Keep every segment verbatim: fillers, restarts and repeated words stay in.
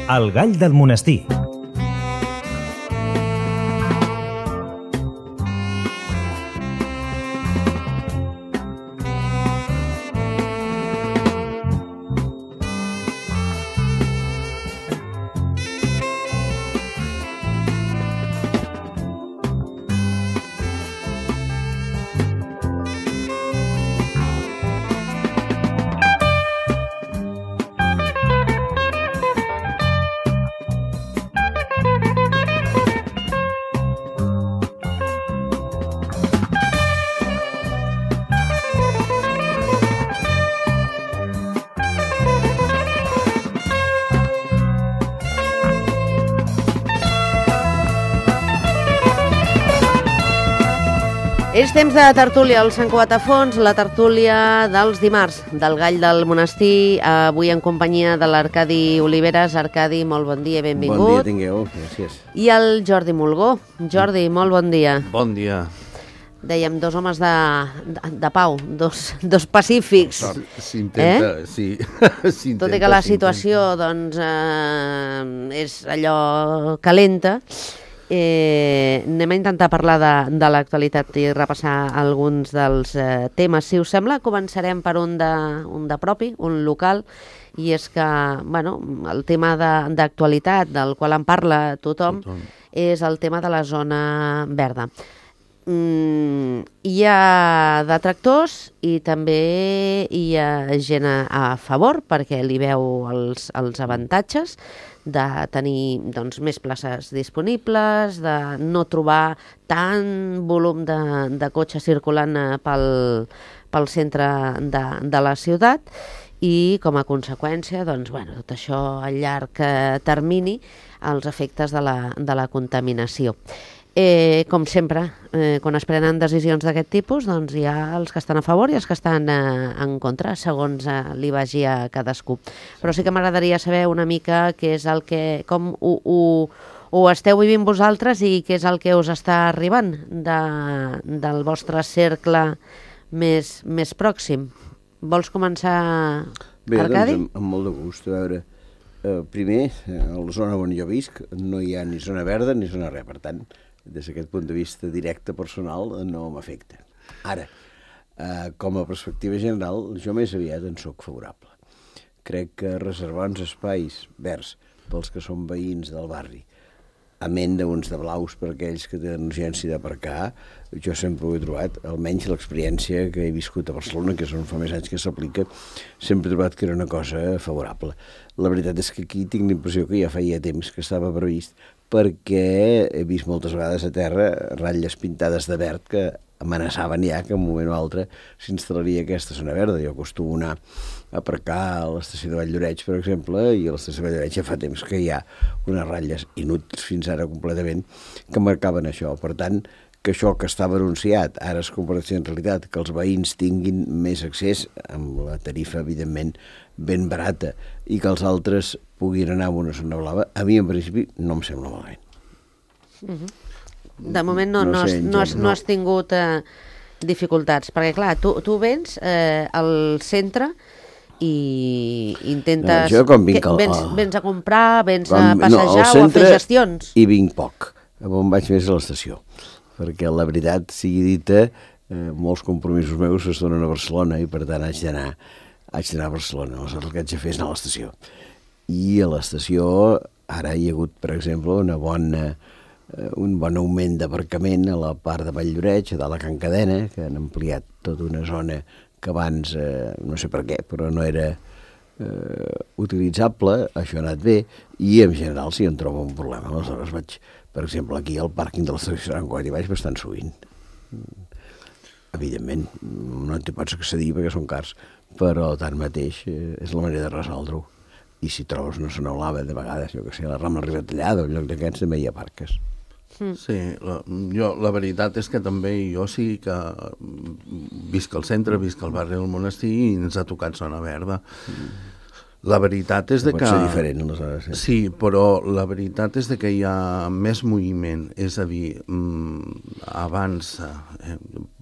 El gall del monestir. És temps de tertúlia al Sant Cugat a Fons, la tertúlia dels dimarts del Gall del Monestir, avui en companyia de l'Arcadi Oliveres. Arcadi, molt bon dia i benvingut. Bon dia tingueu, gràcies. I el Jordi Mulgó. Jordi, molt bon dia. Bon dia. Dèiem, dos homes de, de, de pau, dos, dos pacífics. S'intenta, eh? sí. Tot i que la situació doncs, eh, és allò calenta, Eh, anem a intentar parlar de, de l'actualitat i repassar alguns dels eh, temes. Si us sembla, començarem per un de, un de propi, un local, i és que bueno, el tema d'actualitat del qual en parla tothom, tothom és el tema de la zona verda. Mm, hi ha detractors i també hi ha gent a, a favor perquè li veu els, els avantatges de tenir doncs, més places disponibles, de no trobar tant volum de, de cotxes circulant pel, pel centre de, de la ciutat i com a conseqüència doncs, bueno, tot això a llarg termini els efectes de la, de la contaminació. Eh, com sempre, eh, quan es prenen decisions d'aquest tipus, doncs hi ha els que estan a favor i els que estan eh, en contra, segons eh, li vagi a cadascú. Però sí que m'agradaria saber una mica què és el que, com ho, ho, ho esteu vivint vosaltres i què és el que us està arribant de, del vostre cercle més, més pròxim. Vols començar, Bé, Arcadi? Bé, doncs amb, amb molt de gust. A veure, eh, primer, a la zona on jo visc no hi ha ni zona verda ni zona res, per tant, des d'aquest punt de vista directe personal no m'afecta. Ara, eh, com a perspectiva general, jo més aviat en sóc favorable. Crec que reservar uns espais verds pels que són veïns del barri, amén d'uns de blaus per aquells que tenen urgència d'aparcar, jo sempre ho he trobat, almenys l'experiència que he viscut a Barcelona, que és on fa més anys que s'aplica, sempre he trobat que era una cosa favorable. La veritat és que aquí tinc la impressió que ja feia temps que estava previst, perquè he vist moltes vegades a terra ratlles pintades de verd que amenaçaven ja que en un moment o altre s'instal·laria aquesta zona verda. Jo acostumo anar a aparcar a l'estació de Valldoreix, per exemple, i a l'estació de Valldoreix ja fa temps que hi ha unes ratlles inútils fins ara completament que marcaven això. Per tant, que això que estava anunciat ara es converteix en realitat, que els veïns tinguin més accés amb la tarifa, evidentment, ben barata i que els altres puguin anar a una zona blava, a mi en principi no em sembla malament. Uh-huh. De moment no, no, no, sé, has, no, has, no has tingut eh, dificultats, perquè clar, tu, tu vens eh, al centre i intentes... No, jo quan vinc al... vens, vens a comprar, vens quan, a passejar no, o a fer gestions? I vinc poc, on vaig més a l'estació, perquè la veritat sigui dita, eh, molts compromisos meus es donen a Barcelona i per tant haig d'anar haig d'anar a Barcelona, aleshores el que haig de fer és anar a l'estació. I a l'estació ara hi ha hagut, per exemple, una bona, eh, un bon augment d'aparcament a la part de Valldoreix, a dalt a Can Cadena, que han ampliat tota una zona que abans, eh, no sé per què, però no era eh, utilitzable, això ha anat bé, i en general si em trobo un problema. Aleshores vaig, per exemple, aquí al pàrquing de l'estació de Sant Cugat hi vaig bastant sovint. Evidentment, no t'hi pots accedir perquè són cars, però tanmateix eh, és la manera de resoldre-ho. I si trobes una zona blava, de vegades, jo que sé, la Rambla Ribatallada o lloc d'aquests, també hi ha parques. Mm. Sí, la, jo, la veritat és que també jo sí que visc al centre, visc al barri del Monestir i ens ha tocat zona verda. Mm. La veritat és de pot que... ser diferent, aleshores. Eh? Sí, però la veritat és de que hi ha més moviment, és a dir, mmm, abans, eh,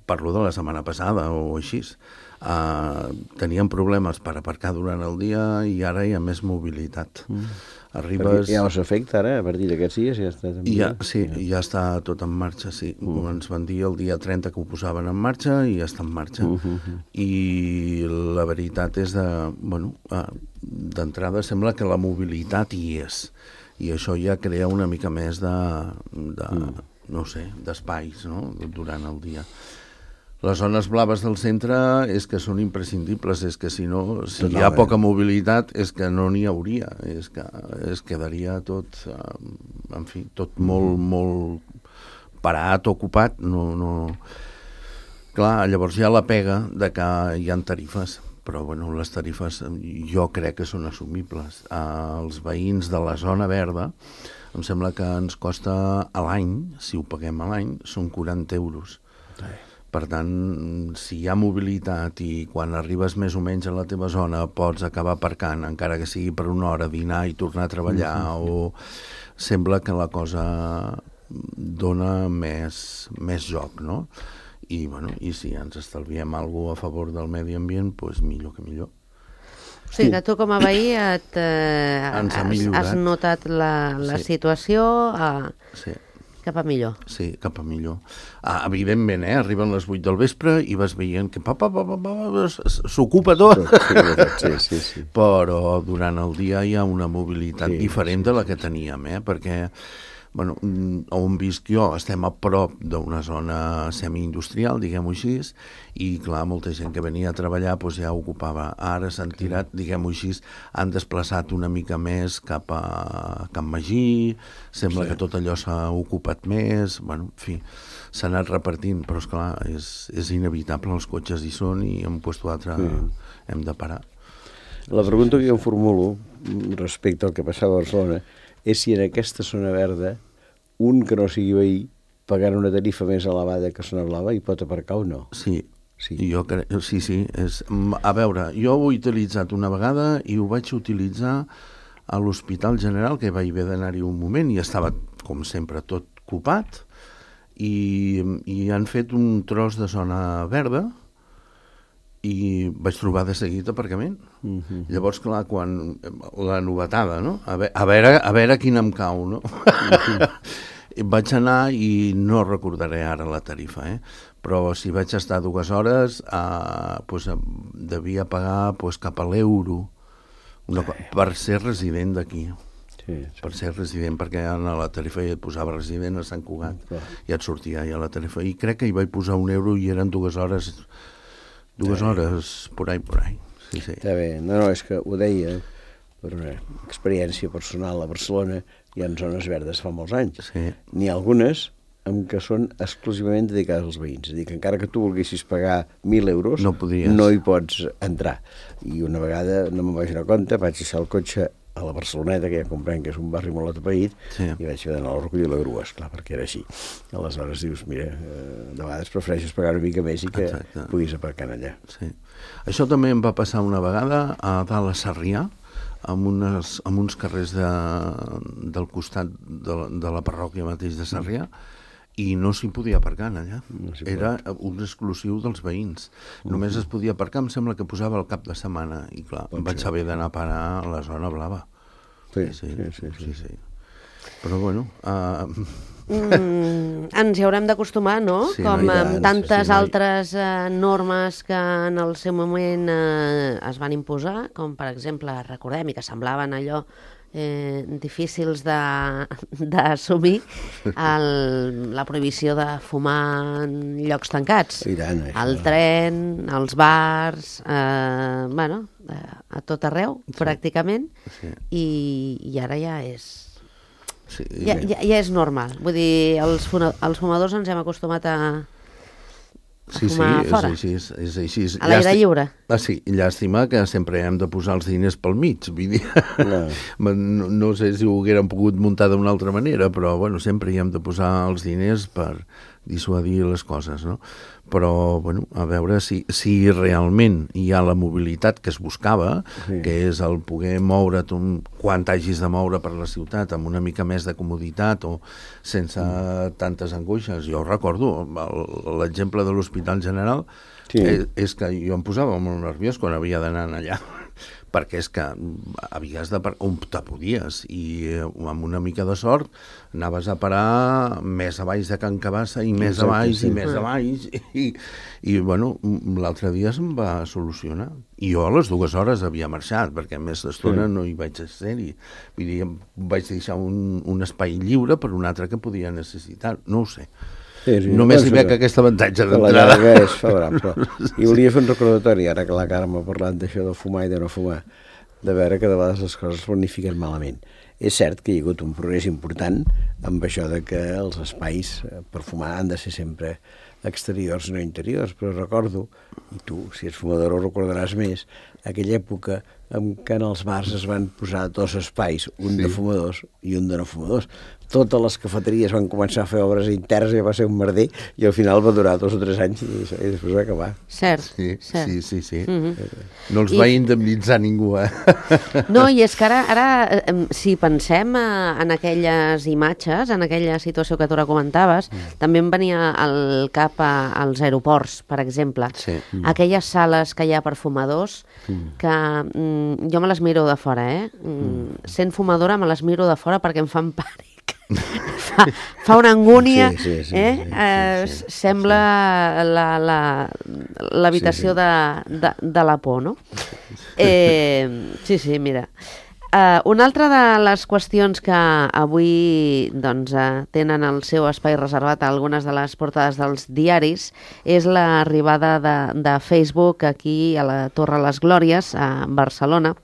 parlo de la setmana passada o així, Uh, teníem problemes per aparcar durant el dia i ara hi ha més mobilitat. Mm. Arribes... Ja us afecta ara, a partir d'aquests dies ja està... Ja, sí, ja. ja està tot en marxa, sí. Mm. Ens van dir el dia trenta que ho posaven en marxa i ja està en marxa. Mm -hmm. I la veritat és de... Bueno, uh, d'entrada sembla que la mobilitat hi és. I això ja crea una mica més de... de mm. no sé, d'espais, no?, durant el dia. Les zones blaves del centre és que són imprescindibles, és que si no, si hi ha poca mobilitat és que no n'hi hauria, és que es quedaria tot, en fi, tot molt, molt parat, ocupat, no, no... Clar, llavors hi ha la pega de que hi ha tarifes, però bueno, les tarifes jo crec que són assumibles. Els veïns de la zona verda em sembla que ens costa a l'any, si ho paguem a l'any, són quaranta euros. Per tant, si hi ha mobilitat i quan arribes més o menys a la teva zona pots acabar aparcant, encara que sigui per una hora, dinar i tornar a treballar, mm-hmm. o sembla que la cosa dona més, més joc, no? I, bueno, i si ens estalviem alguna cosa a favor del medi ambient, doncs millor que millor. O sigui que tu com a veí et, eh, has, has notat la, la sí. situació a... sí. cap a millor. Sí, cap a millor. Ah, evidentment, eh? Arriben les vuit del vespre i vas veient que pa, pa, pa, pa, pa, s'ocupa tot. Sí, sí, sí. Però durant el dia hi ha una mobilitat sí, diferent sí, de la que teníem, eh? Perquè bueno, on visc jo estem a prop d'una zona semi-industrial, diguem-ho així, i clar, molta gent que venia a treballar doncs ja ocupava. Ara s'han tirat, diguem-ho així, han desplaçat una mica més cap a Can Magí, sembla sí. que tot allò s'ha ocupat més, bueno, en fi, s'ha anat repartint, però esclar, és, és inevitable, els cotxes hi són i en un lloc o altre sí. hem de parar. La pregunta que jo em formulo respecte al que passava a Barcelona és si en aquesta zona verda un que no sigui veí pagant una tarifa més elevada que zona blava hi pot aparcar o no? Sí, sí, jo cre... sí, sí. És... A veure, jo ho he utilitzat una vegada i ho vaig utilitzar a l'Hospital General, que vaig haver d'anar-hi un moment i estava, com sempre, tot copat i, i han fet un tros de zona verda i vaig trobar de seguit aparcament. Uh-huh. Llavors, clar, quan la novetada, no? A veure, a veure, a veure quina em cau, no? Uh-huh. Vaig anar i no recordaré ara la tarifa, eh? Però si vaig estar dues hores, eh, doncs, devia pagar doncs, cap a l'euro una, per ser resident d'aquí. Sí, sí. Per ser resident, perquè a la tarifa ja et posava resident a Sant Cugat, uh-huh. i et sortia ja la tarifa. I crec que hi vaig posar un euro i eren dues hores... Dues hores, por ahí, por ahí. Sí, sí. Està bé. No, no, és que ho deia per una experiència personal a Barcelona. Hi ha zones verdes fa molts anys. Sí. N'hi ha algunes en què són exclusivament dedicades als veïns. És a dir, que encara que tu volguessis pagar mil euros, no, no hi pots entrar. I una vegada, no me'n vaig donar compte, vaig deixar el cotxe a la Barceloneta, que ja comprenc que és un barri molt atapeït, sí. i vaig haver d'anar a recollir la grua, esclar, perquè era així. Aleshores dius, mira, de vegades prefereixes pagar una mica més i que Exacte. Puguis aparcar allà. Sí. Això també em va passar una vegada a dalt a Sarrià, amb, unes, amb uns carrers de, del costat de la, de la parròquia mateix de Sarrià, i no s'hi podia aparcar allà. No era un exclusiu dels veïns. Uh-huh. Només es podia aparcar, em sembla que posava el cap de setmana, i clar, em vaig haver d'anar a parar a la zona blava. Sí, sí, sí. sí, sí. sí, sí. Però bueno... Uh... Mm, ens hi haurem d'acostumar, no? Sí, com no amb tantes sí, altres uh, normes que en el seu moment uh, es van imposar, com per exemple, recordem, i que semblaven allò Eh, difícils d'assumir la prohibició de fumar en llocs tancats. Tant, al tren, als bars, eh, bueno, a tot arreu, sí. pràcticament, sí. I, i ara ja és... Sí, ja, ja, ja és normal. Vull dir, els, els fumadors ens hem acostumat a... Sí, sí, és així, és així. A l'aire lliure. Ah, sí, llàstima que sempre hem de posar els diners pel mig, vull dir, no. no, no sé si ho haguérem pogut muntar d'una altra manera, però bueno, sempre hi hem de posar els diners per, dissuadir les coses, no? Però, bueno, a veure si, si realment hi ha la mobilitat que es buscava, sí. que és el poder moure't un, quan t'hagis de moure per la ciutat amb una mica més de comoditat o sense mm. tantes angoixes. Jo recordo l'exemple de l'Hospital General, sí. és, és que jo em posava molt nerviós quan havia d'anar allà, perquè és que havies de parar on te podies i amb una mica de sort anaves a parar més a baix de Can Cabassa i més a baix i més a baix i, i bueno, l'altre dia se'm va solucionar i jo a les dues hores havia marxat perquè més d'estona sí. no hi vaig ser-hi, vull dir, vaig deixar un, un espai lliure per un altre que podia necessitar, no ho sé. Sí, sí, només hi veig que aquest avantatge d'entrada. La llarga és favorable. I volia fer un recordatori, ara que la Carme ha parlat d'això de fumar i de no fumar, de veure que de vegades les coses planifiquen malament. És cert que hi ha hagut un progrés important amb això de que els espais per fumar han de ser sempre exteriors, no interiors, però recordo, i tu, si ets fumador, ho recordaràs més, aquella època en què en els bars es van posar dos espais, un sí. de fumadors i un de no fumadors. Totes les cafeteries van començar a fer obres internes i va ser un merder i al final va durar dos o tres anys i, i després va acabar. Cert, sí, cert. Sí, sí, sí. Mm-hmm. No els I... va indemnitzar ningú, eh? No, i és que ara, ara si pensem en aquelles imatges, en aquella situació que tu ara comentaves, mm. també em venia al cap a, als aeroports, per exemple. Sí. Mm. Aquelles sales que hi ha per fumadors, mm. que mm, jo me les miro de fora, eh? Mm. Sent fumadora me les miro de fora perquè em fan pànic. fa, fa una angúnia, sí, sí, sí, eh? Sí, sí, eh, sí, sí, sembla l'habitació la, la, sí, sí. de, de, de la por, no? Eh, sí, sí, mira. Uh, una altra de les qüestions que avui doncs, uh, tenen el seu espai reservat a algunes de les portades dels diaris és l'arribada de, de Facebook aquí a la Torre Les Glòries, a Barcelona.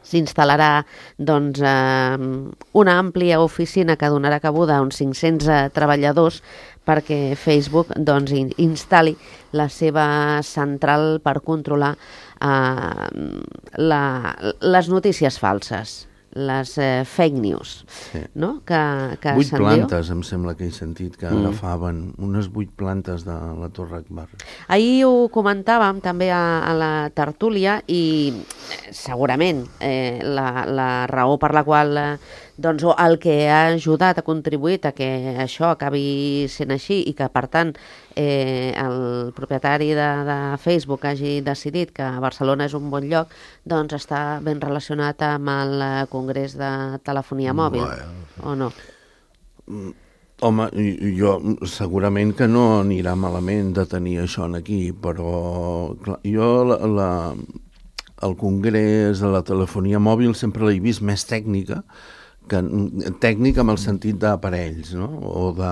S'instal·larà doncs, eh, una àmplia oficina que donarà cabuda a uns cinc-cents eh, treballadors perquè Facebook doncs, in instal·li la seva central per controlar eh, la, les notícies falses, les eh, fake news, sí. no? Que, que vuit plantes, em sembla que he sentit que mm. agafaven unes vuit plantes de la Torre Akbar. Ahir ho comentàvem també a, a la tertúlia i segurament eh, la, la raó per la qual eh, doncs, el que ha ajudat, ha contribuït a que això acabi sent així i que, per tant, eh, el propietari de, de Facebook hagi decidit que Barcelona és un bon lloc, doncs està ben relacionat amb el Congrés de Telefonia Mòbil, bueno. o no? Home, jo segurament que no anirà malament de tenir això aquí, però clar, jo la, la, el Congrés de la Telefonia Mòbil sempre l'he vist més tècnica, que, tècnic amb el sentit d'aparells, no? O de,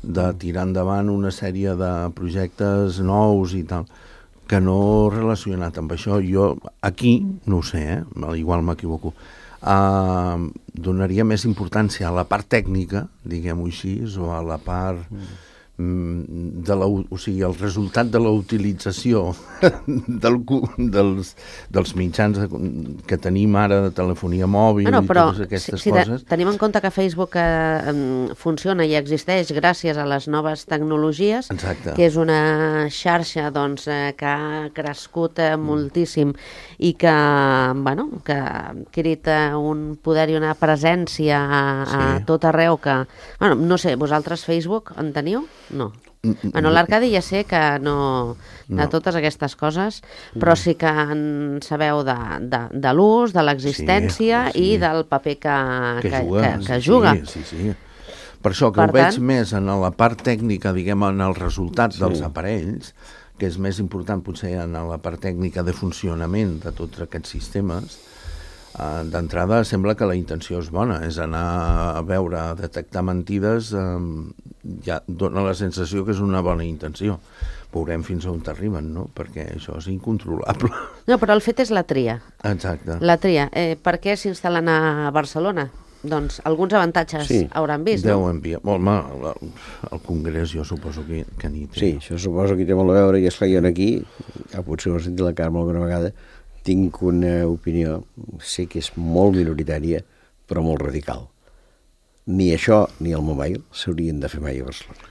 de tirar endavant una sèrie de projectes nous i tal, que no relacionat amb això. Jo aquí, no ho sé, eh? Igual m'equivoco, uh, donaria més importància a la part tècnica, diguem-ho així, o a la part... Mm. De la, o sigui, el resultat de la utilització del, dels, dels mitjans que tenim ara de telefonia mòbil no, no, però, i totes aquestes si, si coses. Tenim en compte que Facebook eh, funciona i existeix gràcies a les noves tecnologies, exacte. Que és una xarxa doncs, eh, que ha crescut eh, moltíssim i que, bueno, que ha adquirit eh, un poder i una presència a, a sí. tot arreu que... Bueno, no sé, vosaltres Facebook en teniu? No. Bueno, l'Arcadi ja sé que no de no. totes aquestes coses, però sí que en sabeu de, de, de l'ús, de l'existència sí, sí. i del paper que, que, que juga. Que, que juga. Sí, sí, sí. Per això que per ho tant... veig més en la part tècnica, diguem, en els resultats sí. dels aparells, que és més important potser en la part tècnica de funcionament de tots aquests sistemes. Uh, d'entrada sembla que la intenció és bona, és anar a veure, a detectar mentides, um, ja dona la sensació que és una bona intenció. Veurem fins on t'arriben, no? Perquè això és incontrolable. No, però el fet és la tria. Exacte. La tria. Eh, per què s'instal·len a Barcelona? Doncs alguns avantatges sí. hauran vist, Deu no? enviar. Home, el Congrés jo suposo que, que n'hi té. Sí, això suposo que hi té molt a veure, i esclar, jo aquí, ja potser ho he sentit la Carme alguna vegada, tinc una opinió, sé que és molt minoritària, però molt radical. Ni això ni el mobile s'haurien de fer mai a Barcelona.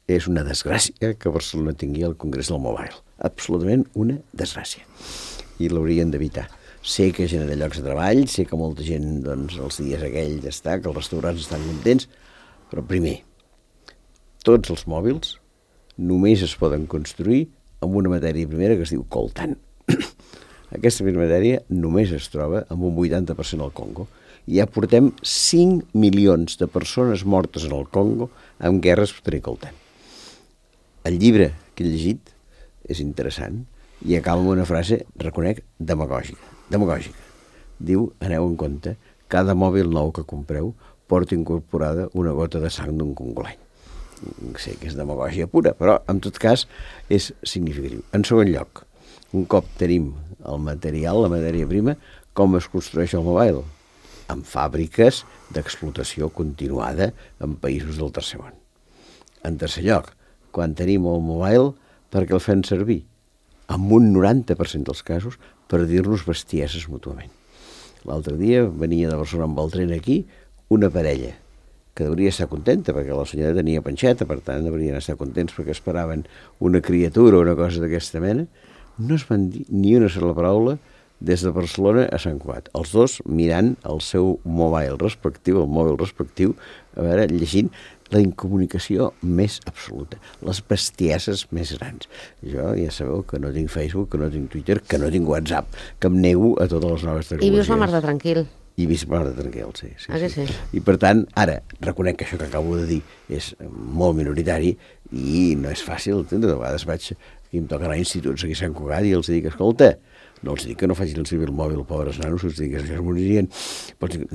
és una desgràcia que Barcelona tingui el Congrés del Mobile. Absolutament una desgràcia. I l'haurien d'evitar. Sé que genera llocs de treball, sé que molta gent, doncs, els dies aquells està, que els restaurants estan contents, però primer, tots els mòbils només es poden construir amb una matèria primera que es diu coltan. Aquesta primera matèria només es troba amb un vuitanta per cent al Congo. I ja portem cinc milions de persones mortes en el Congo amb guerres per tenir coltan. El llibre que he llegit és interessant i acaba amb una frase, reconec, demagògica. demagògica. Diu, aneu en compte, cada mòbil nou que compreu porta incorporada una gota de sang d'un congolany. Sé que és demagògia pura, però en tot cas és significatiu. En segon lloc, un cop tenim el material, la matèria prima, com es construeix el mobile? En fàbriques d'explotació continuada en països del tercer món. En tercer lloc, quan tenim el mobile, per què el fem servir? En un noranta per cent dels casos, per dir-nos bestieses mútuament. L'altre dia venia de Barcelona amb el tren aquí una parella que hauria estar contenta perquè la senyora tenia panxeta, per tant haurien estar contents perquè esperaven una criatura o una cosa d'aquesta mena. No es van dir ni una sola paraula des de Barcelona a Sant Cugat. Els dos mirant el seu mobile respectiu, el mòbil respectiu, a veure, llegint la incomunicació més absoluta, les bestieses més grans. Jo ja sabeu que no tinc Facebook, que no tinc Twitter, que no tinc WhatsApp, que em nego a totes les noves tecnologies. I vius la mar de tranquil. I visc la mar de tranquil, sí. sí, ah, sí. sí. I per tant, ara, reconec que això que acabo de dir és molt minoritari i no és fàcil, de vegades vaig, aquí em toca anar a instituts aquí a Sant Cugat i els dic, escolta, no els dic que no facin el servir el mòbil, pobres nanos, els dic que això es moririen.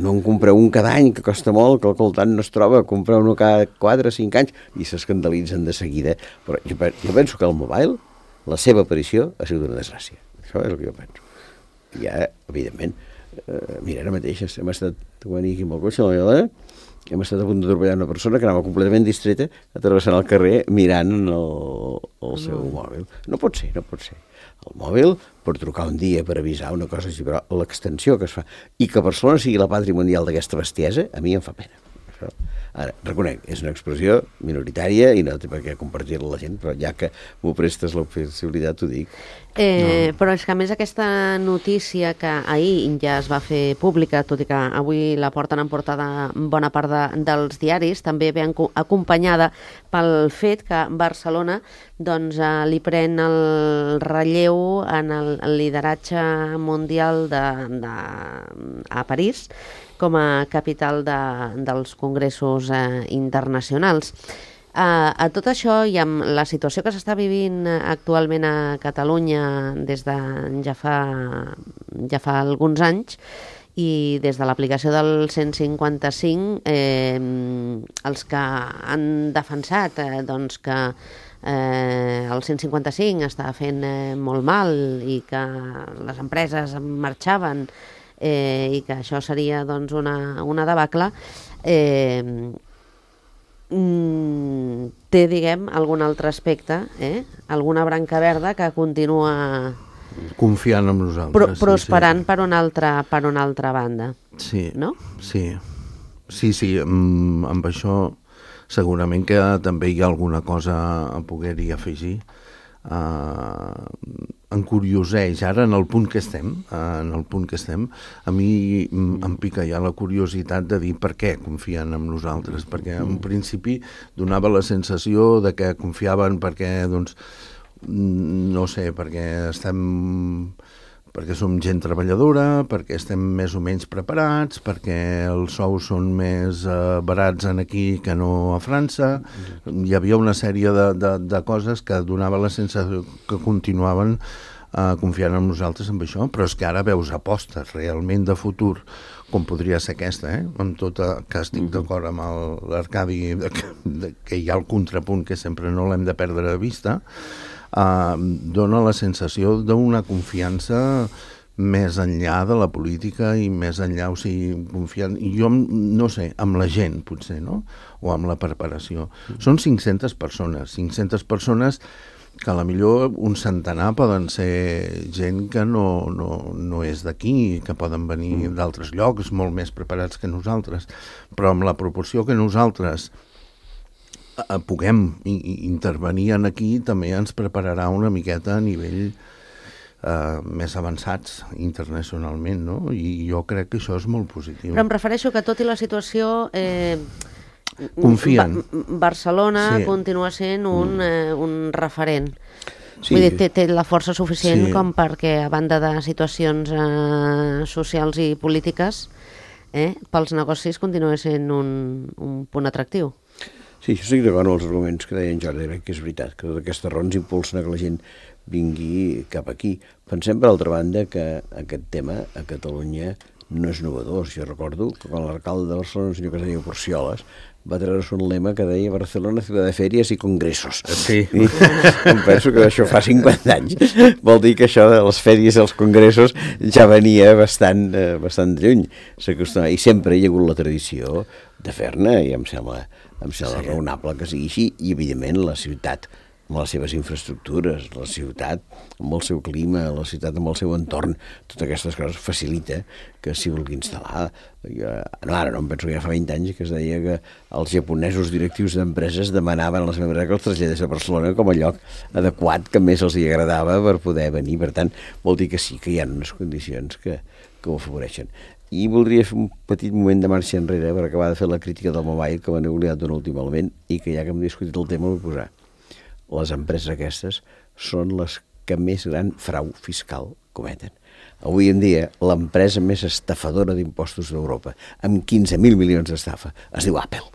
No en compreu un cada any, que costa molt, que el coltant no es troba, compreu un cada quatre o cinc anys, i s'escandalitzen de seguida. Però jo, jo penso que el mobile, la seva aparició, ha sigut una desgràcia. Això és el que jo penso. I ja, evidentment, eh, mira, ara mateix hem estat, venir aquí amb el cotxe, la meva dona, hem estat a punt d'atropellar una persona que anava completament distreta atrevessant el carrer mirant el, el seu mm. mòbil. No pot ser, no pot ser. El mòbil, per trucar un dia, per avisar una cosa així, però l'extensió que es fa, i que Barcelona sigui la pàtria mundial d'aquesta bestiesa, a mi em fa pena. Això. Ara, reconec, és una expressió minoritària i no té per què compartir-la la gent, però ja que m'ho prestes la possibilitat, t'ho dic. Eh, no. Però és que a més aquesta notícia que ahir ja es va fer pública, tot i que avui la porten en portada bona part de, dels diaris, també ve acompanyada pel fet que Barcelona doncs, eh, li pren el relleu en el, el lideratge mundial de, de, a París com a capital de, dels congressos eh, internacionals. Uh, a tot això i amb la situació que s'està vivint actualment a Catalunya des de ja fa, ja fa alguns anys i des de l'aplicació del cent cinquanta-cinc, eh, els que han defensat eh, doncs que eh, el cent cinquanta-cinc està fent eh, molt mal i que les empreses marxaven eh, i que això seria doncs, una, una debacle, eh, Mm, té, diguem, algun altre aspecte, eh? Alguna branca verda que continua confiant en nosaltres. Pro prosperant sí, sí. per una altra, per una altra banda. Sí, no? sí, sí, sí, amb, amb això segurament que també hi ha alguna cosa a poder-hi afegir. Uh, encurioseix ara en el punt que estem uh, en el punt que estem a mi em pica ja la curiositat de dir per què confien en nosaltres, perquè en principi donava la sensació de que confiaven perquè doncs no sé, perquè estem perquè som gent treballadora, perquè estem més o menys preparats, perquè els sous són més eh, barats en aquí que no a França. Hi havia una sèrie de, de, de coses que donava la sensació que continuaven eh, confiant en nosaltres amb això, però és que ara veus apostes realment de futur, com podria ser aquesta, eh? Amb tot que estic d'acord amb l'Arcadi, que, que hi ha el contrapunt que sempre no l'hem de perdre de vista, Uh, dona la sensació d'una confiança més enllà de la política i més enllà, o sigui, confiant, i jo no sé, amb la gent potser, no? O amb la preparació. Mm. Són cinc-centes persones, cinc-centes persones que a la millor un centenar poden ser gent que no, no, no és d'aquí, que poden venir mm. d'altres llocs molt més preparats que nosaltres, però amb la proporció que nosaltres puguem intervenir en aquí també ens prepararà una miqueta a nivell Uh, més avançats internacionalment, no? I jo crec que això és molt positiu. Però em refereixo que tot i la situació eh, confien. Ba Barcelona sí. continua sent un, mm. eh, un referent. Sí. Vull dir, té, té la força suficient sí. com perquè, a banda de situacions eh, socials i polítiques, eh, pels negocis continua sent un, un punt atractiu. Sí, jo estic d'acord amb els arguments que deia en Jordi, crec que és veritat, que totes aquestes raons impulsen a que la gent vingui cap aquí. Pensem, per altra banda, que aquest tema a Catalunya no és novedós. Jo recordo que quan l'alcalde de Barcelona, el senyor que es deia Porcioles, va treure-se un lema que deia Barcelona, ciutat de fèries i congressos. Sí. I em penso que això fa cinquanta anys. Vol dir que això de les fèries i els congressos ja venia bastant, eh, bastant lluny. I sempre hi ha hagut la tradició de fer-ne, i em sembla, em sembla sí. raonable que sigui així. I, evidentment, la ciutat, amb les seves infraestructures, la ciutat amb el seu clima, la ciutat amb el seu entorn, totes aquestes coses facilita que s'hi vulgui instal·lar. Jo, no, ara no em penso que ja fa vint anys que es deia que els japonesos directius d'empreses demanaven a la seva empresa que els traslladés a Barcelona com a lloc adequat que més els hi agradava per poder venir. Per tant, vol dir que sí que hi ha unes condicions que, que ho afavoreixen. I voldria fer un petit moment de marxa enrere per acabar de fer la crítica del mobile, que m'han oblidat d'un últim element, i que ja que hem discutit el tema vull posar. Les empreses aquestes són les que més gran frau fiscal cometen. Avui en dia, l'empresa més estafadora d'impostos d'Europa, amb quinze mil milions d'estafa, es diu Apple.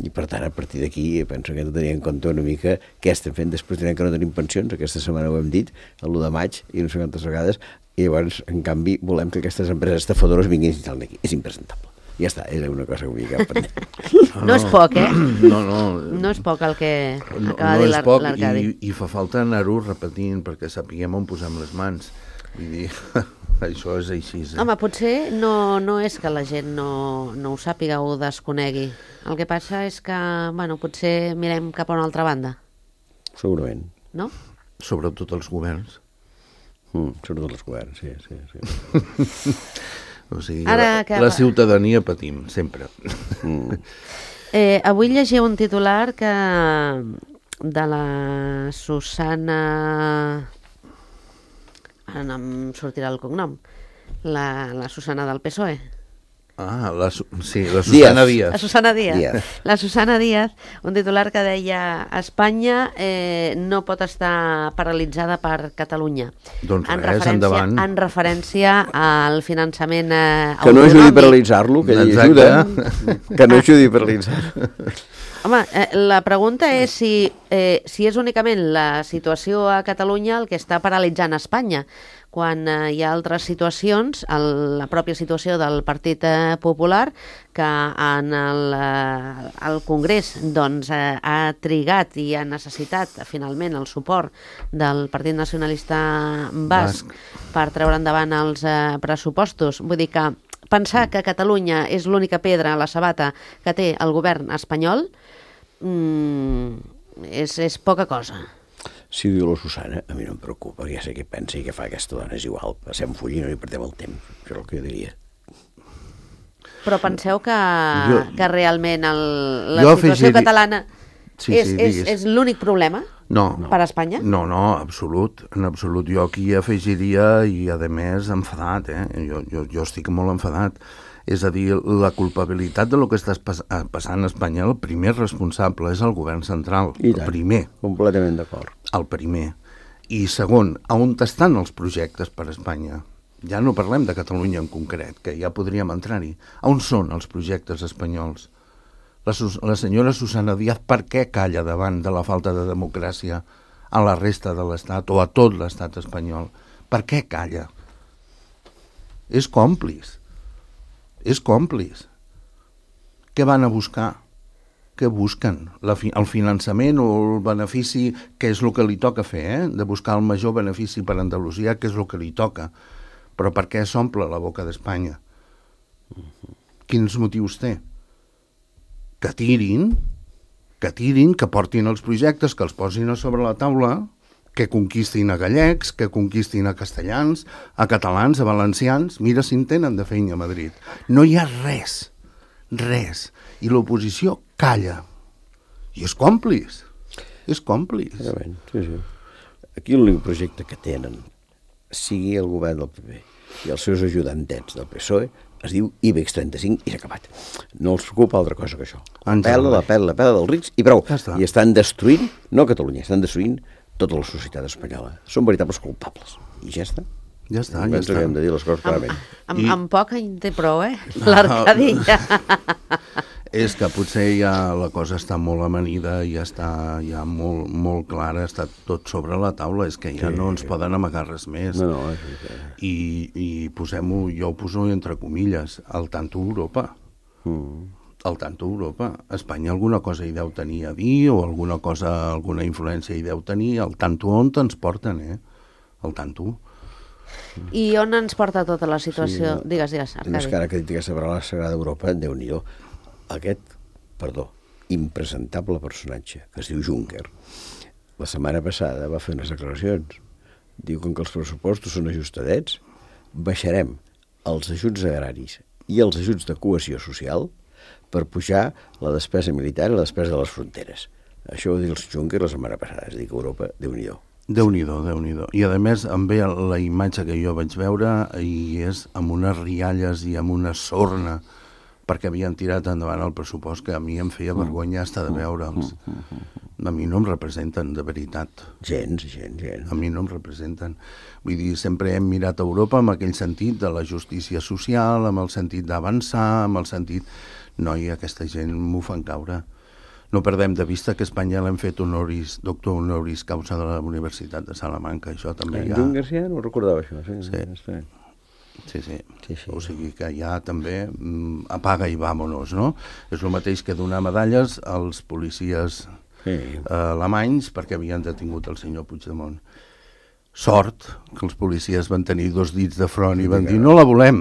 I per tant, a partir d'aquí, penso que hem de tenir en compte una mica què estem fent. Després direm que no tenim pensions, aquesta setmana ho hem dit, l'u de maig, i no sé quantes vegades, i llavors, en canvi, volem que aquestes empreses estafadores vinguin a aquí. És impresentable. Ja està, és una cosa que vull quedar pendent. No, no és poc, eh? No, no. No és poc el que no, acaba no de dir l'Arcadi. I, I fa falta anar-ho repetint perquè sapiguem on posem les mans. Vull dir, això és així. Eh? Home, potser no, no és que la gent no, no ho sàpiga o ho desconegui. El que passa és que, bueno, potser mirem cap a una altra banda. Segurament. No? Sobretot els governs. Mm, sobretot els governs, sí, sí, sí. O sigui, Ara, la, que... la ciutadania patim, sempre. Mm. Eh, avui llegia un titular que de la Susana... Ara no em sortirà el cognom. La, la Susana del P S O E. Ah, la, sí, la Susana Díaz. La Susana Díaz. Díaz. La Susana Díaz, un titular que deia Espanya eh, no pot estar paralitzada per Catalunya. Doncs en res, endavant. En referència al finançament eh, que no ajudi a paralitzar-lo, que ell ajuda. Que no ajudi a paralitzar-lo. Home, eh, la pregunta és si, eh, si és únicament la situació a Catalunya el que està paralitzant Espanya, quan eh, hi ha altres situacions, el, la pròpia situació del Partit eh, Popular, que en el, eh, el Congrés doncs, eh, ha trigat i ha necessitat finalment el suport del Partit Nacionalista Basc, Basc. per treure endavant els eh, pressupostos. Vull dir que pensar que Catalunya és l'única pedra a la sabata que té el govern espanyol mm, és, és poca cosa. Si ho diu la Susana, a mi no em preocupa, ja sé què pensa i què fa aquesta dona, és igual, passem full i no hi perdem el temps, això és el que jo diria. Però penseu que, jo, que realment el, la situació afegir... catalana sí, és, sí, és, és l'únic problema no, per a Espanya? No, no, absolut, en absolut. Jo aquí afegiria, i a més enfadat, eh? jo, jo, jo estic molt enfadat. És a dir, la culpabilitat de lo que està passant a Espanya, el primer responsable és el govern central. I el tant, primer. Completament d'acord. El primer. I segon, on estan els projectes per a Espanya? Ja no parlem de Catalunya en concret, que ja podríem entrar-hi. On són els projectes espanyols? La, la senyora Susana Díaz, per què calla davant de la falta de democràcia a la resta de l'Estat o a tot l'Estat espanyol? Per què calla? És còmplice. És còmplice. Què van a buscar? Què busquen? La fi, el finançament o el benefici, que és el que li toca fer, eh? De buscar el major benefici per Andalusia, que és el que li toca. Però per què s'omple la boca d'Espanya? Uh-huh. Quins motius té? Que tirin, que tirin, que portin els projectes, que els posin a sobre la taula, que conquistin a gallecs, que conquistin a castellans, a catalans, a valencians. Mira si en tenen de feina a Madrid. No hi ha res, res. I l'oposició calla. I és còmplice. És còmplice. Sí, sí. Aquí l'únic projecte que tenen, sigui el govern del P P i els seus ajudantets del P S O E, es diu IBEX trenta-cinc i s'ha acabat. No els preocupa altra cosa que això. La pela, la pela, la pela dels rics i prou. Ja I estan destruint, no Catalunya, estan destruint tota la societat espanyola. Són veritables culpables. I ja està. Ja està, ja està. Que hem de dir les coses clarament. Amb, amb, I... amb poc en té prou, eh? L'Arcadi ja... És que potser ja la cosa està molt amanida, ja està ja molt, molt clara, està tot sobre la taula, és que ja sí, no ens poden amagar res més. No, no, és que... I, i posem-ho, jo ho poso entre comilles, al tanto Europa. Mm. Al tanto Europa. Espanya alguna cosa hi deu tenir a dir, o alguna cosa, alguna influència hi deu tenir, al tanto on ens porten, eh? Al tanto. I on ens porta tota la situació? Sí, digues, digues, Arcadi. Més que ara que dit aquesta paraula sagrada d'Europa, Déu-n'hi-do. Aquest, perdó, impresentable personatge, que es diu Juncker, la setmana passada va fer unes declaracions. Diu que, que els pressupostos són ajustadets, baixarem els ajuts agraris i els ajuts de cohesió social per pujar la despesa militar i la despesa de les fronteres. Això ho diu el Juncker la setmana passada, és a dir, que Europa, Déu-n'hi-do. Déu-n'hi-do, Déu-n'hi-do. I a més em ve la imatge que jo vaig veure i és amb unes rialles i amb una sorna perquè havien tirat endavant el pressupost que a mi em feia vergonya estar de veure'ls. A mi no em representen, de veritat. Gens, gens, gens. A mi no em representen. Vull dir, sempre hem mirat a Europa amb aquell sentit de la justícia social, amb el sentit d'avançar, amb el sentit... No, i aquesta gent m'ho fan caure. No perdem de vista que a Espanya l'hem fet honoris, doctor honoris causa de la Universitat de Salamanca. Això també hi ha... Juncker ja no recordava això. Sí, sí. Sí, sí. sí, sí. O sigui que ja també mm, apaga i vámonos, no? És el mateix que donar medalles als policies sí. eh, alemanys perquè havien detingut el senyor Puigdemont. Sort que els policies van tenir dos dits de front i van dir no la volem.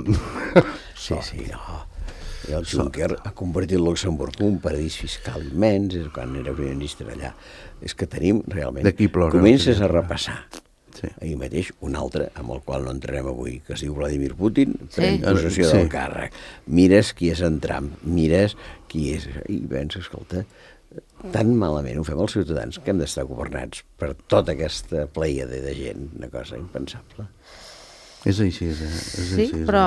Sí, sí, no. I el Juncker ha convertit Luxemburg en un paradís fiscal immens, és quan era primer ministre allà. És que tenim realment... D'aquí plora. Comences a repassar. Sí. Ahir mateix un altre, amb el qual no entrarem avui, que es diu Vladimir Putin, pren sí. possessió sí. del càrrec. Mires qui és en Trump, mires qui és... I penses, escolta, tan malament ho fem els ciutadans que hem d'estar governats per tota aquesta pleiade de gent, una cosa impensable. És així, eh? És sí, així, però...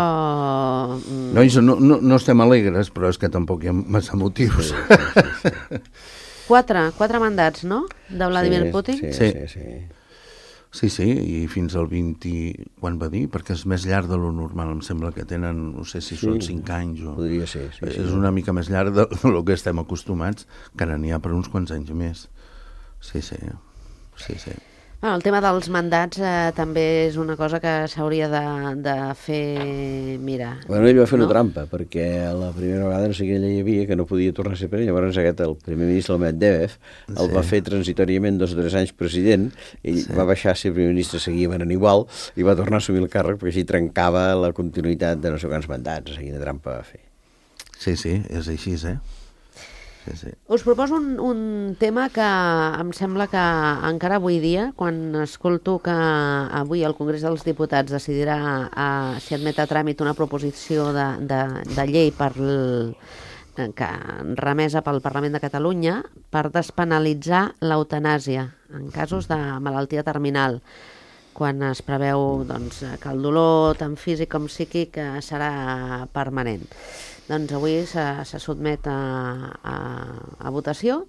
No, no, no, no estem alegres, però és que tampoc hi ha massa motius. Sí, sí, sí, sí. Quatre, quatre mandats, no?, de Vladimir sí, Putin? Sí, sí, sí. sí. Sí, sí, i fins al vint... Quan va dir? Perquè és més llarg de lo normal, em sembla que tenen, no sé si sí, són cinc anys o... Podria ser, sí. És sí. una mica més llarg de, de lo que estem acostumats, que ara n'hi ha per uns quants anys més. Sí, sí, sí, sí. Bueno, el tema dels mandats eh, també és una cosa que s'hauria de, de fer mirar. Bueno, ell va fer no? una trampa, perquè la primera vegada no sé quina llei hi havia que no podia tornar a ser president. Llavors aquest, el primer ministre, el Medvedev, el sí. va fer transitoriament dos o tres anys president, ell sí. va baixar a ser primer ministre, seguia venant igual, i va tornar a assumir el càrrec perquè així trencava la continuïtat de no sé quants mandats. O sigui, quina trampa va fer. Sí, sí, és així, eh? Sí, sí. Us proposo un, un tema que em sembla que encara avui dia, quan escolto que avui el Congrés dels Diputats decidirà a, si admet a tràmit una proposició de, de, de llei per l, que, remesa pel Parlament de Catalunya per despenalitzar l'eutanàsia en casos de malaltia terminal, quan es preveu doncs, que el dolor tant físic com psíquic serà permanent. Doncs avui se, se sotmet a, a, a votació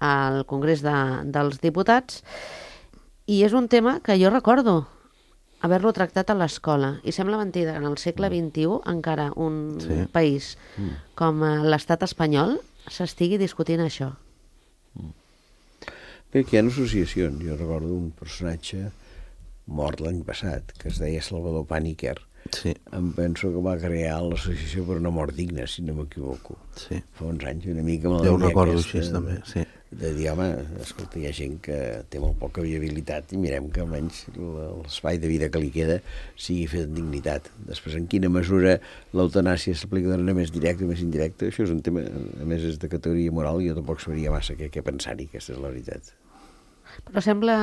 al Congrés de, dels Diputats i és un tema que jo recordo haver-lo tractat a l'escola i sembla mentida que en el segle vint-i-u encara un sí. país mm. com l'estat espanyol s'estigui discutint això. Mm. Bé, que hi ha associacions. Jo recordo un personatge mort l'any passat que es deia Salvador Pàniker. Sí. Em penso que va crear l'associació per una mort digna, si no m'equivoco. Sí. Fa uns anys, una mica amb la jo ho recordo aquesta, així, també, sí. De dir, home, escolta, hi ha gent que té molt poca viabilitat i mirem que almenys l'espai de vida que li queda sigui fet amb dignitat. Després, en quina mesura l'eutanàsia s'aplica de manera més directa o més indirecta, això és un tema, a més, és de categoria moral i jo tampoc sabria massa què, què pensar-hi, aquesta és la veritat. Però sembla...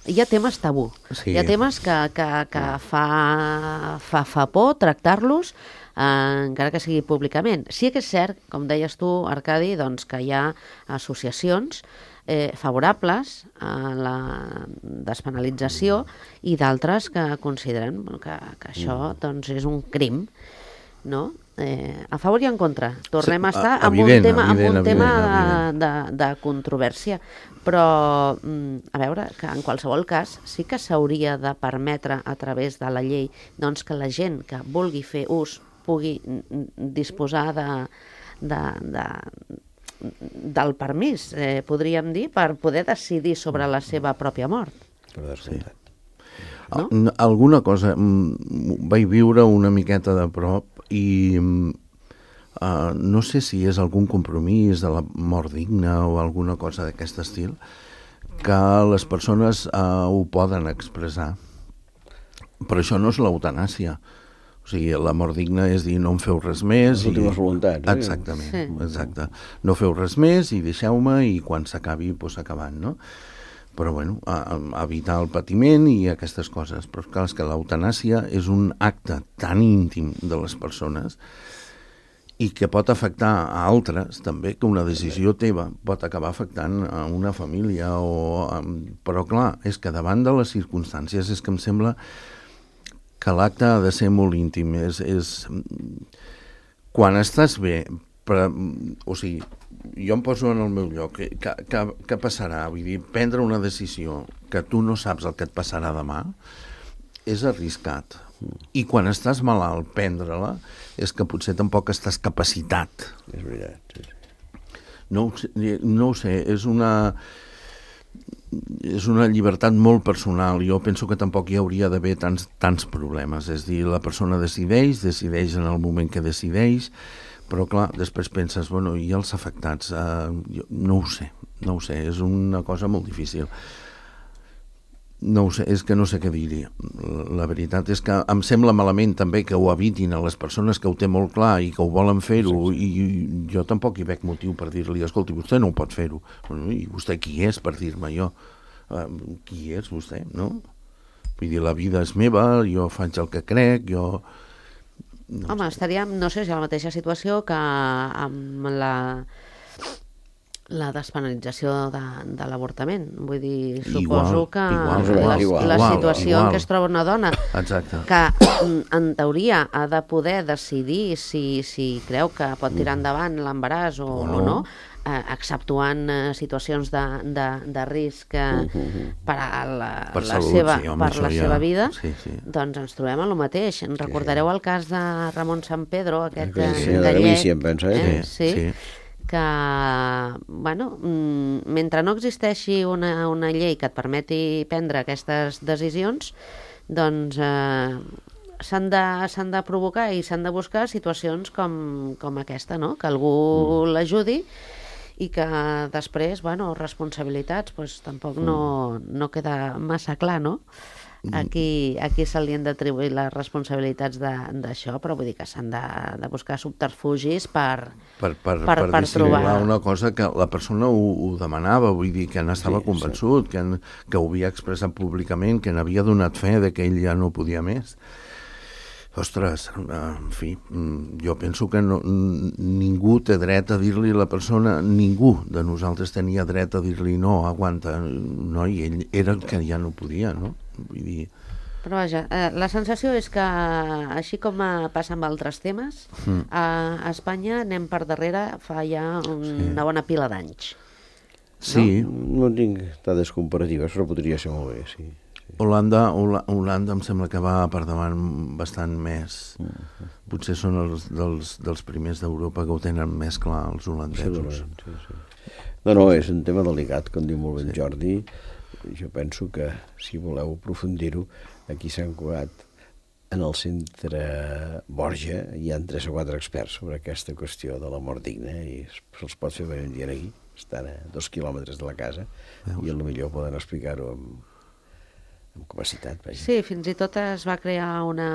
Hi ha temes tabú. Sí. Hi ha temes que, que, que fa, fa, fa por tractar-los, eh, encara que sigui públicament. Sí que és cert, com deies tu, Arcadi, doncs, que hi ha associacions eh, favorables a la despenalització i d'altres que consideren bueno, que, que això doncs, és un crim, no? Eh, a favor i en contra. Tornem Sí, a estar a- amb evident, un tema, amb evident, un tema evident, de, de, de controvèrsia. Però, mm, a veure, que en qualsevol cas sí que s'hauria de permetre a través de la llei doncs, que la gent que vulgui fer ús pugui mm, disposar de, de, de, del permís, eh, podríem dir, per poder decidir sobre la seva pròpia mort. Per descomptat. No? No? Alguna cosa mm, vaig viure una miqueta de prop i mm, uh, no sé si és algun compromís de la mort digna o alguna cosa d'aquest estil que les persones uh, ho poden expressar, però això no és l'eutanàsia. O sigui, la mort digna és dir no em feu res més. Les últimes voluntats, eh? Exactament, Sí. exacte. No feu res més i deixeu-me i quan s'acabi, doncs s'acabant, no? Però, bueno, a, a evitar el patiment i aquestes coses. Però, clar, és que l'eutanàsia és un acte tan íntim de les persones i que pot afectar a altres, també, que una decisió teva pot acabar afectant a una família. O, a... Però, clar, és que davant de les circumstàncies és que em sembla que l'acte ha de ser molt íntim. És, és... Quan estàs bé, però, o sigui, jo em poso en el meu lloc, què, què, què passarà? Vull dir, prendre una decisió que tu no saps el que et passarà demà és arriscat. I quan estàs malalt, prendre-la, és que potser tampoc estàs capacitat. És veritat, sí, sí. No, ho sé- no ho sé, és una... és una llibertat molt personal. Jo penso que tampoc hi hauria d'haver tants, tants problemes. És dir, la persona decideix, decideix en el moment que decideix, però clar, després penses, bueno, i els afectats? Uh, jo, no ho sé, no ho sé, és una cosa molt difícil. No ho sé, és que no sé què dir-hi. La veritat és que em sembla malament també que ho evitin a les persones que ho té molt clar i que ho volen fer-ho, i jo tampoc hi veig motiu per dir-li, escolti, vostè no ho pot fer-ho. Bueno, i vostè qui és per dir-me jo? Uh, qui és vostè, no? Vull dir, la vida és meva, jo faig el que crec, jo... No Home, estaríem, no sé si a la mateixa situació que amb la, la despenalització de, de l'avortament. Vull dir, suposo Igual, que igual, la, igual, la igual, situació igual. en què es troba una dona Exacte. que en teoria ha de poder decidir si, si creu que pot tirar endavant l'embaràs o, O o no. no, eh, exceptuant eh, situacions de, de, de risc eh, per a la, Per la, salut, seva, sí, home, per això la ja- seva vida, sí, sí. doncs ens trobem en el mateix. En recordareu el cas de Ramon San Pedro, aquest Aquell eh, senyor de gallec, Galícia, em pensa, eh? eh? Sí, Sí. que, bueno, mm, mentre no existeixi una, una llei que et permeti prendre aquestes decisions, doncs eh, s'han de, s'han de provocar i s'han de buscar situacions com, com aquesta, no? Que algú mm. l'ajudi i que després, bueno, responsabilitats, doncs tampoc no, no queda massa clar, no? Aquí, aquí se li han d'atribuir les responsabilitats de- d'això, però vull dir que s'han de, de buscar subterfugis per, per, per, per, per, per dissimular trobar... una cosa que la persona ho, ho demanava, vull dir que n'estava Sí, sí, convençut, sí. que, en, que ho havia expressat públicament, que n'havia donat fe de que ell ja no podia més. Ostres, en fi, jo penso que no, ningú té dret a dir-li a la persona, ningú de nosaltres tenia dret a dir-li no, aguanta, no, i ell era el que ja no podia, no? Vull dir... Però vaja, eh, la sensació és que, així com eh, passa amb altres temes, mm. a, a Espanya anem per darrere fa ja un, sí. una bona pila d'anys. Sí, No, no tinc dades comparatives, però podria ser molt bé, sí. Holanda, Hola- Holanda em sembla que va per davant bastant més. Potser són els dels, dels primers d'Europa que ho tenen més clar, els holandesos. Segurament, sí, sí. No, no, és un tema delicat, com diu molt ben sí. Jordi. Jo penso que, si voleu aprofundir-ho, aquí s'han curat en el centre Borja, hi ha tres o quatre experts sobre aquesta qüestió de la mort digna i se'ls pot fer venir un dia aquí, estan a dos quilòmetres de la casa. Veus? I potser poden explicar-ho amb, amb capacitat. Vaja. Sí, fins i tot es va crear una,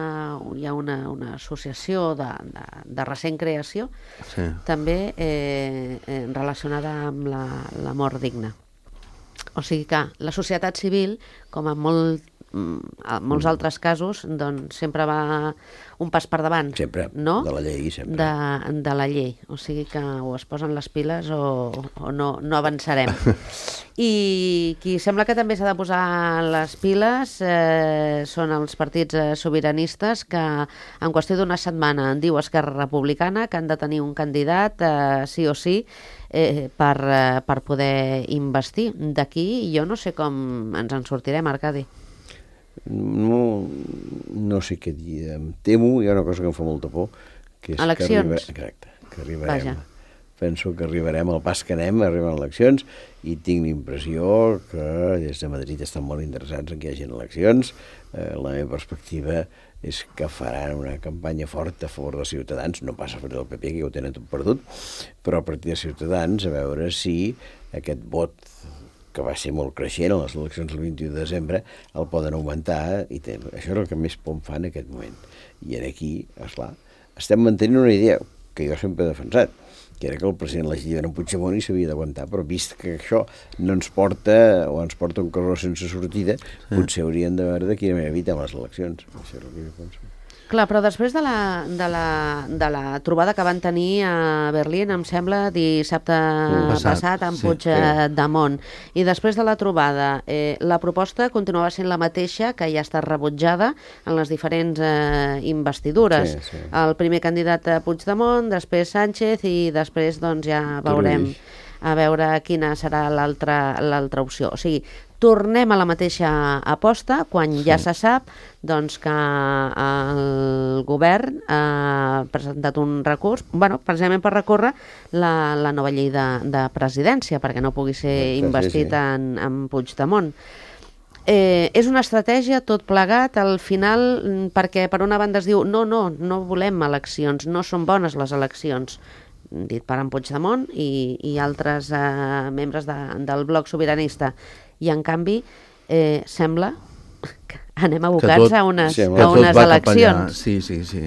hi ha una, una associació de, de, de recent creació, Sí. també eh, eh, relacionada amb la, la mort digna. O sigui que la societat civil, com en molt, en molts altres casos, doncs sempre va un pas per davant. Sempre, no? de la llei, sempre. De, de la llei. O sigui que o es posen les piles o, o no, no avançarem. I qui sembla que també s'ha de posar les piles eh, són els partits eh, sobiranistes que en qüestió d'una setmana en diu Esquerra Republicana que han de tenir un candidat eh, sí o sí eh, per, eh, per poder investir. D'aquí jo no sé com ens en sortirem, Arcadi. No, no sé què dir. Em temo, hi ha una cosa que em fa molta por, que és eleccions. que, arriba, exacte, que arribarem. Vaja. Penso que arribarem al pas que anem, arriben eleccions, i tinc l'impressió que des de Madrid estan molt interessats en que hi hagi eleccions. Eh, la meva perspectiva és que faran una campanya forta a favor dels ciutadans, no passa per el P P, que ho tenen tot perdut, però a partir de Ciutadans, a veure si aquest vot que va ser molt creixent a les eleccions del vint-i-u de desembre, el poden augmentar, i té, això és el que més por em fa en aquest moment. I aquí, esclar, estem mantenint una idea que jo sempre he defensat, que era que el president legítim era en Puigdemont i s'havia d'aguantar, però vist que això no ens porta, o ens porta un carró sense sortida, sí. Potser hauríem de veure de quina manera evitem les eleccions. Això és el que jo penso. Clar, però després de la, de, la, de la trobada que van tenir a Berlín, em sembla, dissabte passat, passat amb sí, Puigdemont, sí. I després de la trobada, eh, la proposta continuava sent la mateixa, que ja ha estat rebutjada en les diferents eh, investidures. Sí, sí. El primer candidat a Puigdemont, després Sánchez i després doncs, ja veurem a veure quina serà l'altra l'altra opció. O sigui, tornem a la mateixa aposta quan ja sí. se sap doncs, que el govern ha presentat un recurs, bueno, precisament per recórrer la, la nova llei de, de presidència, perquè no pugui ser investit sí, sí. En, en Puigdemont. Eh, és una estratègia tot plegat al final, perquè per una banda es diu no, no, no volem eleccions, no són bones les eleccions, dit per en Puigdemont i, i altres eh, membres de, del bloc sobiranista. I en canvi eh, sembla que anem abocats tot, a unes, sí, a unes eleccions. Sí, sí, sí.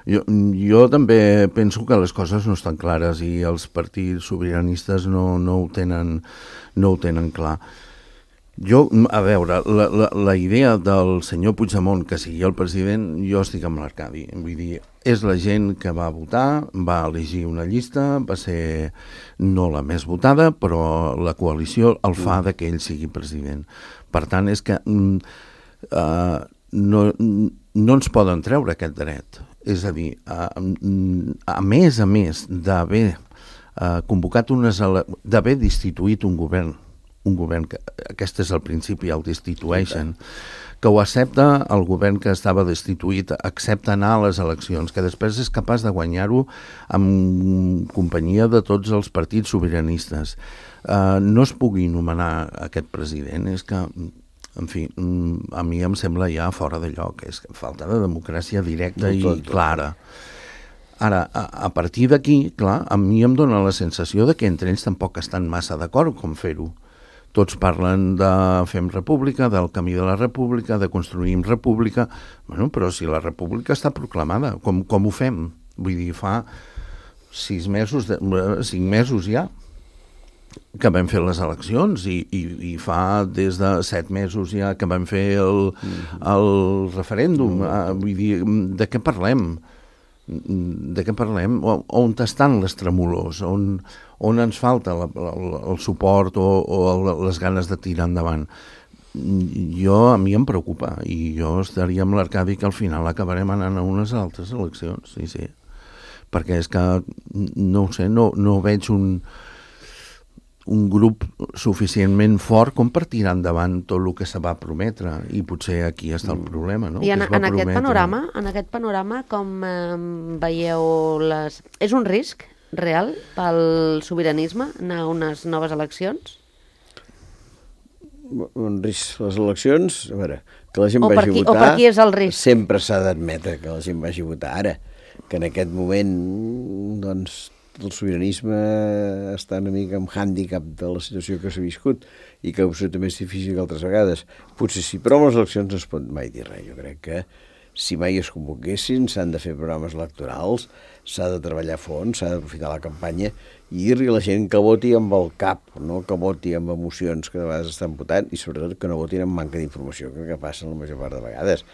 Jo, jo també penso que les coses no estan clares i els partits sobiranistes no, no, ho, tenen, no ho tenen clar. Jo, a veure, la, la, la idea del senyor Puigdemont que sigui el president, jo estic amb l'Arcadi. Vull dir, és la gent que va votar, va elegir una llista, va ser no la més votada, però la coalició el fa de que ell sigui president. Per tant, és que uh, no, no ens poden treure aquest dret. És a dir, uh, a més a més d'haver uh, convocat unes ele- d'haver destituït un govern, un govern que, aquest és el principi, el destitueixen, que ho accepta el govern que estava destituït, accepta anar a les eleccions, que després és capaç de guanyar-ho amb companyia de tots els partits sobiranistes. Uh, no es pugui nomenar aquest president, és que, en fi, a mi em sembla ja fora de lloc, és falta de democràcia directa i clara. Ara, a, a partir d'aquí, clar, a mi em dóna la sensació de que entre ells tampoc estan massa d'acord com fer-ho. Tots parlen de fem república, del camí de la república, de construïm república. Bueno, però si la república està proclamada, com, com ho fem? Vull dir, fa sis mesos, de, cinc mesos ja que vam fer les eleccions i, i, i fa des de set mesos ja que vam fer el, el referèndum. Vull dir, de què parlem? De què parlem? On estan les tremolors? On, on ens falta la, el, el suport o, o les ganes de tirar endavant? Jo, a mi em preocupa i jo estaria amb l'Arcadi que al final acabarem anant a unes altres eleccions, sí, sí. Perquè és que, no ho sé, no, no veig un, un grup suficientment fort com per tirar endavant tot el que se va prometre i potser aquí està el problema, no? I en, en, aquest panorama, en aquest panorama com eh, veieu les... És un risc real pel sobiranisme anar a unes noves eleccions? Un risc les eleccions, a veure, que la gent o vagi qui, a votar... O per qui és el risc? Sempre s'ha d'admetre que la gent vagi a votar. Ara, que en aquest moment, doncs, el sobiranisme està una mica amb hàndicap de la situació que s'ha viscut i que absolutament és difícil que altres vegades. Potser sí, però amb les eleccions no es pot mai dir res. Jo crec que si mai es convoquessin, s'han de fer programes electorals, s'ha de treballar a fons, s'ha d'aprofitar la campanya i dir-li a la gent que voti amb el cap, no que voti amb emocions que de vegades estan votant, i sobretot que no votin amb manca d'informació, que, que passa la major part de vegades,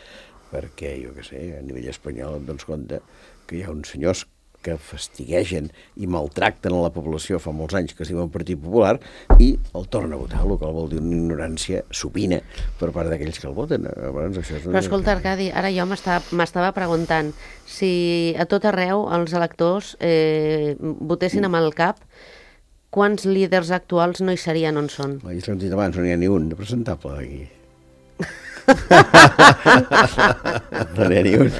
perquè, jo què sé, a nivell espanyol et dones compte que hi ha uns senyors que fastiguegen i maltracten a la població fa molts anys, que es diuen Partit Popular, i el tornen a votar, el que vol dir una ignorància supina per part d'aquells que el voten. Llavors, això és... Però escolta, Arcadi, ara jo m'estava preguntant si a tot arreu els electors eh, votessin amb el cap, quants líders actuals no hi serien on són? Ja s'ho hem dit abans, no n'hi ha ni un de presentable aquí. No n'hi ha ni un.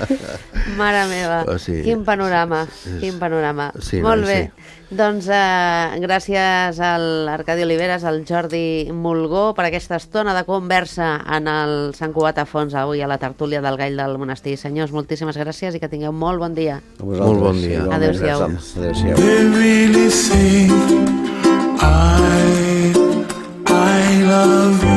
Mare meva, oh, sí. Quin panorama, quin panorama. Sí, Molt no, bé, sí. Doncs eh, gràcies a l'Arcadi Oliveres, al Jordi Mulgó, per aquesta estona de conversa en el Sant Cugat a Fons, avui a la tertúlia del Gall del Monestir. Senyors, moltíssimes gràcies i que tingueu molt bon dia. Molt bon dia. Adéu-siau. Adéu-siau. They really think I, I love you.